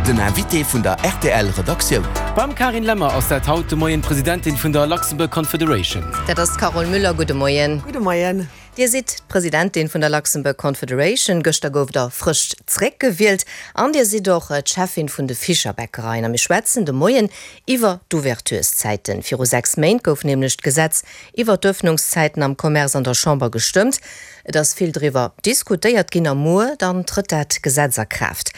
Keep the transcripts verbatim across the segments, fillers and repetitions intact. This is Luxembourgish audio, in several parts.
Den Invité vun der R T L Redaktioun. Beim Karin Lemmer ass dat haut de Moien d'Presidentin vun der Luxembourg Confederation. Dat ass d'Carole Müller. Gudde Moien. Gudde Moien. Dir sidd d'Presidentin vun der Luxembourg Confederation. Gëschter gouft der frësch zréckgewielt an Dir sidd och d'Cheffin vun de Fischerbäckereien. A mir schwätzen de Moien iwwer d'Ouvertureszäiten. Viru sechs Méint gouf nämlech d'Gesetz iwwer d'Ëffnungszäiten am Commerce an der Chamber gestëmmt. Et ass vill driwwer diskutéiert ginn a muer dann trëtt dat Gesetz a Kraaft.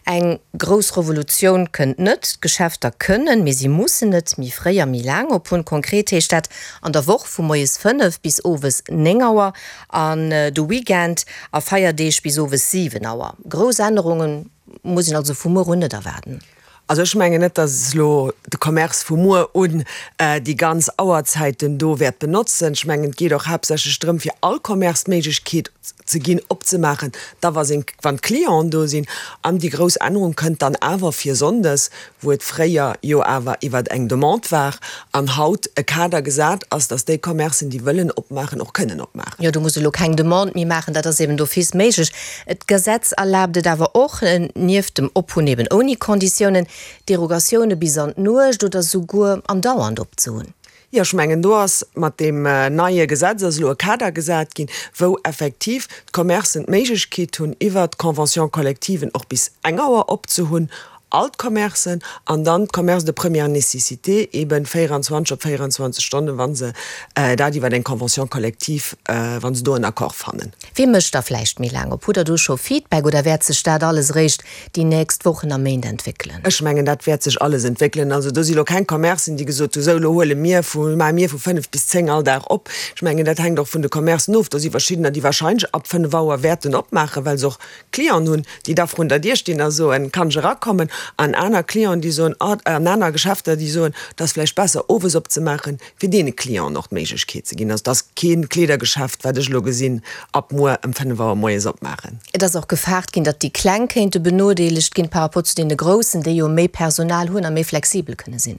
Eng grouss Revolutioun kënnt net, d'Geschäfter kënnen, mee si mussen net méi fréi a méi laang op hunn. Konkret heescht dat an der Woch vu moies fënnef bis owes néng Auer an de Weekend a Feierdeeg bis owes siwen Auer. Grouss Ännerunge muss een also vu muer un net erwaarden. Also ech mengen net, dass elo de Commerce vu muer un déi ganz Auerzäiten do wäert benotzen. Ech mengen, et geet och haaptsächlech drëm, fir all Commerce d'Méiglechkeet ze ginn, opzemaachen, da wa seng, wann d'Clienten do sinn. An déi grouss Ännerung kënnt dann awer fir sonndes, wou et fréier jo awer iwwert eng Demande war an haut e Kader gesat ass, dass déi Commercen, déi wëllen opmaachen, och kënnen opmaachen. Jo, do muss elo keng Demande méi maachen, dat ass eben d'office méiglech. D'Gesetz erlaabt et awer och, nieft dem Ophunn eben ouni Konditiounen, Derogatioune bis an d'Nuecht oder souguer andauernd opzehunn. Jo, ech mengen, do ass mat deem neie Gesetz ass elo e Kader gesat ginn, wou effektiv d'Commercen d'Méiglechkeet hunn, iwwert d'Convention-collectiven och bis eng Auer opzehunn, all d'Commercen, an dann d'Commerces de première nécessité eben véierundzwanzeg op véierundzwanzeg Stonnen, wa se dat iwwer eng Convention collective, wa se do en Accord fannen. Wie mécht da vläicht méi laang op? Hutt Der do scho Feedback oder wäert sech dat alles eréischt déi nächst Wochen a Méint entwéckelen? Ech mengen, dat wäert sech alles entwéckelen. Also do si lo keng Commercen, déi gesot hu sou, elo huele mir vu, maache mir vu fënnef bis zéng all Dag op. Ech mengen, dat hänkt och vun de Commercen of. Do si verschiddener, déi warscheinlech ab fënnef Auer wäerten opmaachen, well se och Clienten hunn, déi da vrun der Dier stinn a soen, Kann ech erakommen? An aner Clienten, déi soen, an aner Geschäfter, déi soen, Et ass vläicht besser, owes opzemaachen, fir deene Clienten och d'Méiglechkeet ze ginn. Also et ass kee Kleedergeschäft, wat ech elo gesinn, ab muer ëm fënnef Auer moies opmaachen. Et ass och gefaart ginn, datt déi Kleng kéinte benodeelegt ginn par rapport zu deene Groussen, déi jo méi Personal hunn a méi flexibel kënne sinn.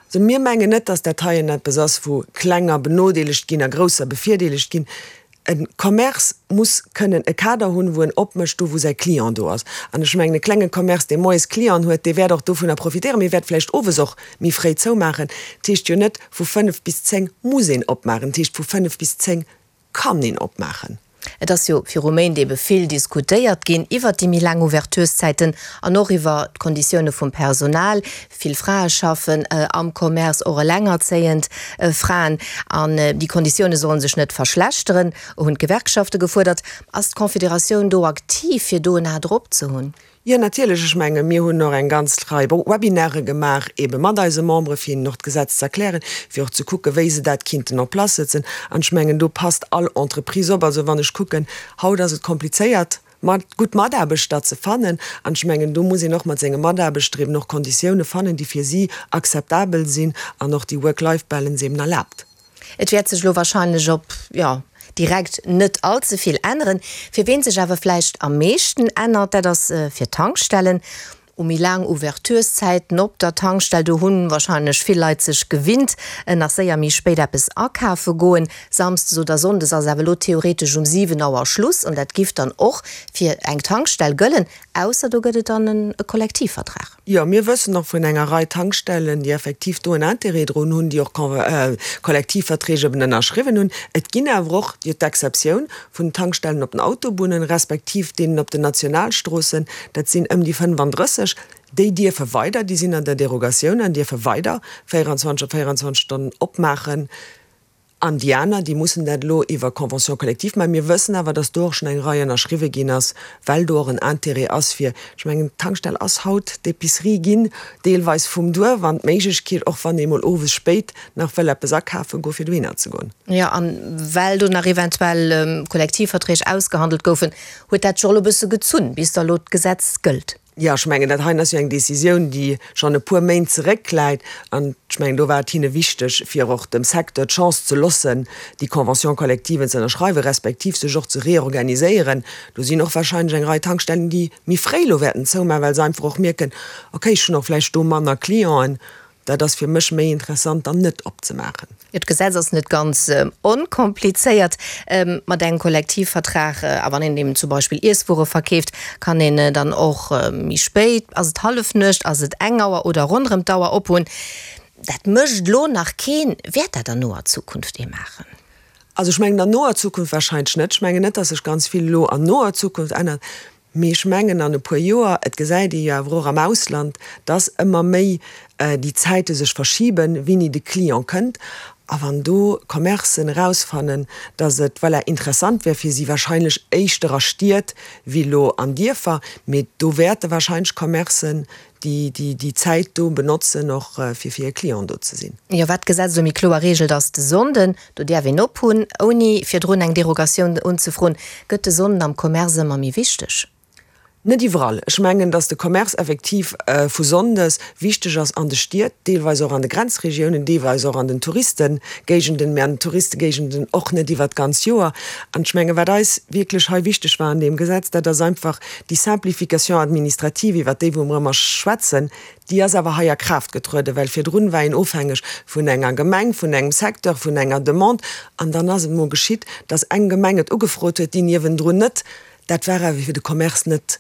Also mir mengen net, datt dat heien eppes ass, wou Klenger benodeelegt ginn a Grousser bevirdeelegt ginn. E Commerce muss kënnen e Kader hunn, wou en opmécht, do wou säi Client do ass. An ech mengen, e klenge Commerce, dee moies Clienten huet, dee wäert och dovunner profitéieren, mee wäert vläicht owes och méi fréi zoumaachen. Dat heescht jo net, vu fënnef bis zéng muss een opmaachen. Dat heescht, vu fënnef bis zéng kann een opmaachen. Et ass jo viru Méint ebe vill diskutéiert ginn iwwert déi méi laang Ouvertureszäiten an och iwwer d'Konditioune vum Personal. Vill Frae schaffen am Commerce, och elengerzéiend Fraen. An déi Konditioune solle sech net verschlechteren, hunn d'Gewerkschafte gefuerdert. Ass d'Confederatioun do aktiv, fir do en A drop ze hunn? Jo, natierlech. Ech menge mir hunn och eng ganz Rei Webinare gemaach, eebe mat eise Membere fir hinnen och d'Gesetz ze erklären, fir och ze kucken, wéi se dat kinnten en place setzen. An ech mengen, do passt all Entreprise op. Also wann ech kucken, haut ass et komplizéiert, mat gutt Mataarbechter ze fannen. An ech mengen, do muss een och mat senge Mataarbechter eeben och Konditioune fannen, déi fir si akzeptabel sinn an och déi Work-Life-Balance eeben erlaabt. Et wäert sech elo warscheinlech op, jo, direkt net all ze vill änneren. Fir ween sech awer vläicht am meeschten ännert, dat ass fir d'Tankstellen. U méi laang Ouvertureszäiten op der Tankstell, do hunn warscheinlech vill Leit sech gewinnt, nach séier méi spéit eppes akafe goen. Samsdes oder Sonndes ass awer elo theoretesch um siwen Auer Schluss an dat giff dann och fir eng Tankstell gëllen, ausser do gëtt et dann e Kollektivvertrag. Jo, mir wëssen och vun enger Rei Tankstellen, déi effektiv do en Intérêt drun hunn, déi och Kollektivverträg eben ënnerschriwwen hunn. Et ginn awer och jo d'Exceptioun vun Tankstellen op den Autobunnen, respektiv deenen op den Nationalstroossen, dat sinn ëm déi fënnefandrësseg, déi dierfe weider, déi sinn an der Derogatioun an dierfe weider véierundzwanzeg op véierundzwanzeg Stonnen opmaachen. An déi aner, déi mussen dat elo iwwer Convention collective maachen. Mir wëssen awer, dass do och schonn eng Rei ënnerschriwwe ginn ass, well do och en Intérêt ass fir, ech mengen, d'Tankstell ass haut d'Épicerie ginn, deelweis vum Duerf an d'Méiglechkeet, och wann ee mol owes spéit nach wëll eppes akafe goen, fir dohinner ze goen. Jo, a well do nach eventuell Kollektivverträg ausgehandelt goufen, huet dat sech och elo e bësse gezunn, bis da elo d'Gesetz gëllt. Jo, ech mengen, dat heien ass jo eng Décisioun, déi schonn e puer Méint zeréckläit. An ech mengen, do war et hinne wichteg, fir och dem Secteur d'Chance ze loossen, déi Convention collective ze ënnerschreiwen, respektiv sech och ze reorganiséieren. Do sinn och wahrscheinlech eng Rei Tankstellen, déi méi fréi elo wäerten zoumaachen, well se einfach och mierken, okay, ech hunn och vläicht do manner Clienten, Dat ass fir mech méi interessant, dann net opzemaachen. Jo, d'Gesetz ass net ganz onkomplizéiert. Mat engem Kollektivvertrag, a wann een eben zum Beispill Iesswuere verkeeft, kann een dann och méi spéit, ass et Hallefnuecht, ass et eng Auer oder ronderëm d'Auer ophunn. Dat mécht elo nach keen. Wäert dat an noer Zukunft ee maachen? Also ech mengen an noer Zukunft wahrscheinlech net. Ech mengen net, datt sech ganz vill elo an noer Zukunft ännert. Mee ech mengen an e puer Joer, et gesäit ee jo awer och am Ausland, dass ëmmer méi déi Zäite sech verschiben, wéini de Client kënnt. A wann do Commercen erausfannen, dass et, voilà, interessant wär fir si, wahrscheinlech éischter a Stied wéi elo an Dierfer, mee do wäerte wahrscheinlech Commercen déi, déi, déi Zäit do benotzen, och fir fir hir Clienten do ze sinn. Jo, wat d'Gesetz elo méi kloer reegelt, ass de Sonnden, do däerf een op hunn, ouni virdrun eng Derogatioun unzefroen. Gëtt de Sonnden am Commerce ëmmer méi wichteg? Net iwwerall. Ech mengen, datt de Commerce effektiv vu sonndes wichteg ass an de Stied, deelweis och an de Grenzregiounen, deelweis och an den Touristengéigenden, mä an den Touristengéigenden och net iwwert d'ganz Joer. An ech mengen, wat eis wierklech hei wichteg war an deem Gesetz, dat ass einfach déi Simplification administrative, iwwert déi wou mer ëmmer schwätzen, déi ass awer hei a Kraaft getrueden, well virdrun war een ofhängeg vun enger Gemeng, vun engem Secteur, vun enger Demande. An dann ass et emol geschitt, datt eng Gemeng et ugefrot huet, déi niewendrun net. Dat war awer fir de Commerce net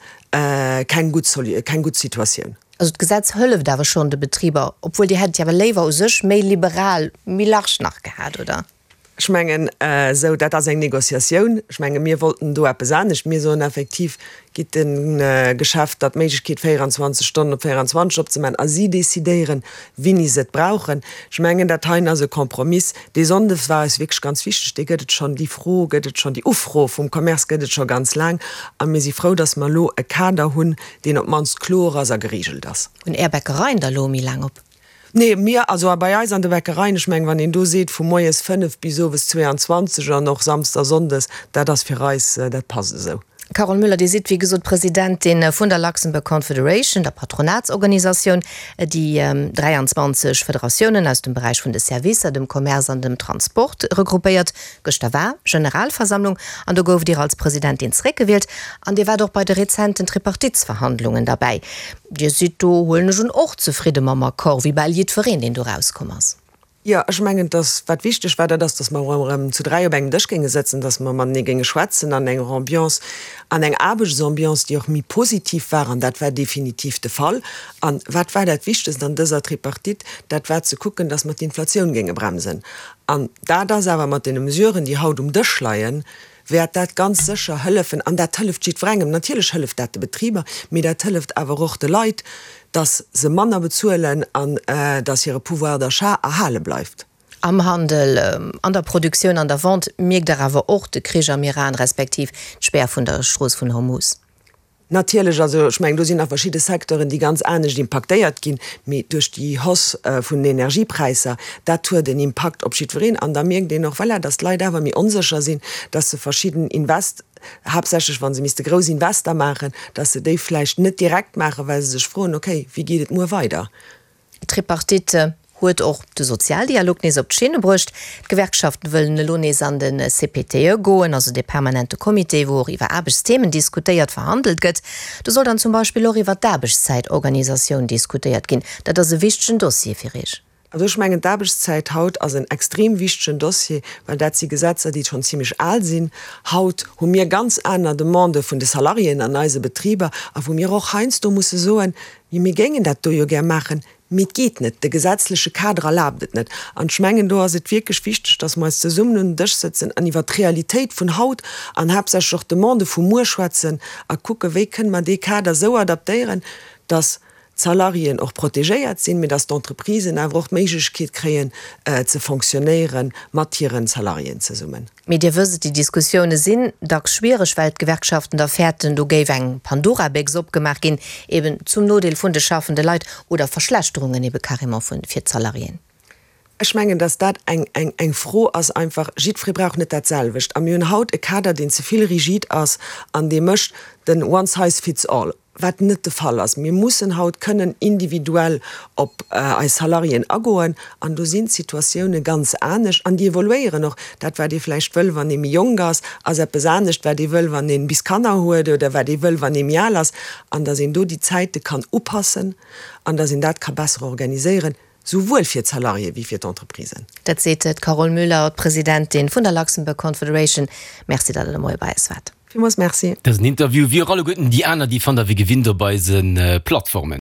keng gutt keng gutt Situatioun. Also d'Gesetz hëlleft awer schonn de Betriber, obwuel Dir hätt et jo awer léiwer u sech méi liberal, méi large nach gehat, oder? Ech mengen esou, dat ass eng Négociatioun. Ech menge mir wollten do eppes anescht. Mir soen effektiv, gitt de Geschäfter d'Méiglechkeet véierundzwanzeg Stonnen op véierundzwanzeg opzemaachen a si decidéieren, wéini se et brauchen. Ech mengen, dat heien ass e Kompromiss. Dee Sonndes war eis wierklech ganz wichteg. Dee gëtt et schonn, déi Fro gëtt et schonn, déi Ufro vum Commerce gëtt et scho ganz laang. A mir si frou, datt mer elo e Kader hunn, deen op d'mannst kloer ass a geregelt ass. Hunn Är Bäckereien da elo méi laang op? Nee, mir, also bei eis an de Bäckereien, ech mengen, wann een do seet vu moies fënnef bis owes zweeanzwanzeg an och Samsdes a Sonndes, dat ass fir eis, dat passt esou. Carole Müller, Dir sidd wéi gesot Presidentin vun der Luxembourg Confederation, der Patronatsorganisatioun, déi dräianzwanzeg Federatiounen aus dem Beräich vun de Servicer, dem Commerce an dem Transport regroupéiert. Gëschter war Generalversammlung an do gouft Dir als Presidentin zeréckgewielt an Dir waart och bei de rezenten Tripartitsverhandlungen derbäi. Dir sidd do, huelen ech un, och zefridde mam Accord, wéi bal jiddwereen, deen do erauskomm ass? Jo, ech mengen, dass, wat wichteg war, dat ass, dass mer erëm zu dräi op engem Dësch géinge sëtzen, dass mer matenee géinge schwätzen an enger Ambiance, an eng Aarbechtsambiance, déi och méi positiv war. An dat war definitiv de Fall. An wat war dat Wichtegst an dëser Tripartite? Dat war ze kucken, dass mer d'Inflatioun géinge bremsen. An dat ass awer mat deene Mesuren, déi haut um Dësch leien, wäert dat ganz sécher hëllefen. An dat hëlleft jiddwerengem. Natierlech hëlleft dat de Betriber, mee dat hëlleft awer och de Leit, dass se manner bezuelen an dass hire Pouvoir d'achat erhale bleift. Am Handel, an der Produktioun, an der Vente mierkt Der awer och de Krich am Iran respektiv d'Spär vun der Strooss vun Hormuz. Natierlech, also ech mengen, do sinn nach verschidde Secteuren, déi ganz anescht impaktéiert ginn, mee duerch déi Hausse vun den Energiepräisser, dat huet en Impakt op jiddwereen. An da mierkt een och, voilà, dass d'Leit awer méi onsécher sinn, dass se verschidden Invest, haaptsächlech wa se misste grouss Invester maachen, dass se déi vläicht net direkt maachen, well se sech froen, okay, wéi geet et muer weider? D'Tripartite huet och de Sozialdialog nees op d'Schinne bruecht. D'Gewerkschaften wëllen elo nees an de C P T E goen, also dee permanente Comité, wou och iwwer Aarbechtsthemen diskutéiert, verhandelt gëtt. Do soll dann zum Beispill och iwwer d'Aarbechtszäitorganisatioun diskutéiert ginn. Dat ass e wichtegen Dossier fir Iech? Also ech mengen, d'Aarbechtszäit haut ass en extrem wichtegen Dossier, well dat si Gesetzer, déi schonn zimlech al sinn. Haut hu mir ganz aner Demandë vun de Salariéen an eise Betriber a wou mir och heiansdo musse soen, mir géingen dat do jo gär maachen, mee et geet net, de gesetzleche Kader erlaabt et net. An ech mengen, do ass et wierklech wichteg, dass mer eis zesummen un den Dësch sëtzen an iwwert d'Realitéit vun haut an haaptsächlech och d'Demandë vu muer schwätzen a kucken, wéi kënne mer dee Kader esou adaptéieren, dass d'Salariéen och protegéiert sinn, mee dass d'Entreprisen awer och d'Méiglechkeet kréien ze fonctionnéiere mat hiren Salariéen zesummen. Mee Dir wësst et, déi Diskussioune sinn dacks schwiereg, well d'Gewerkschaften da fäerten, do géif eng Pandora-Béchs opgemaach ginn, eben zum Nodeel vun de schaffende Leit oder Verschlechterungen ebe carrément fir d'Salariéen. Ech mengen, dass dat eng, eng, eng Fro ass einfach, jiddweree brauch net dat selwecht. A mir hunn haut e Kader, deen ze vill rigid ass an dee mécht den one size fits all, wat net de Fall ass. Mir mussen haut kënnen individuell op eis Salariéen agoen an do sinn d'Situatioune ganz anescht an déi evoluéieren och. Dat, wat ee vläicht wëll, wann ee méi jonk ass, ass eppes anescht, wat ee wëll, wann ee bis Kanner huet oder wat ee wëll, wann ee méi al ass. An dass een do déi Zäite kann upassen an dass een dat ka besser organiséieren. souwuel fir d'Salariéë wéi fir d'Entreprisen. Dat seet d'Carole Müller, d'Presidentin vun der Luxembourg Confederation. Merci, datt Der de Moie bei eis waart. Villmools Merci. Dësen Interview, wéi och alleguerten déi aner, déi fannt Der wéi gewinnt op eise Plattformen.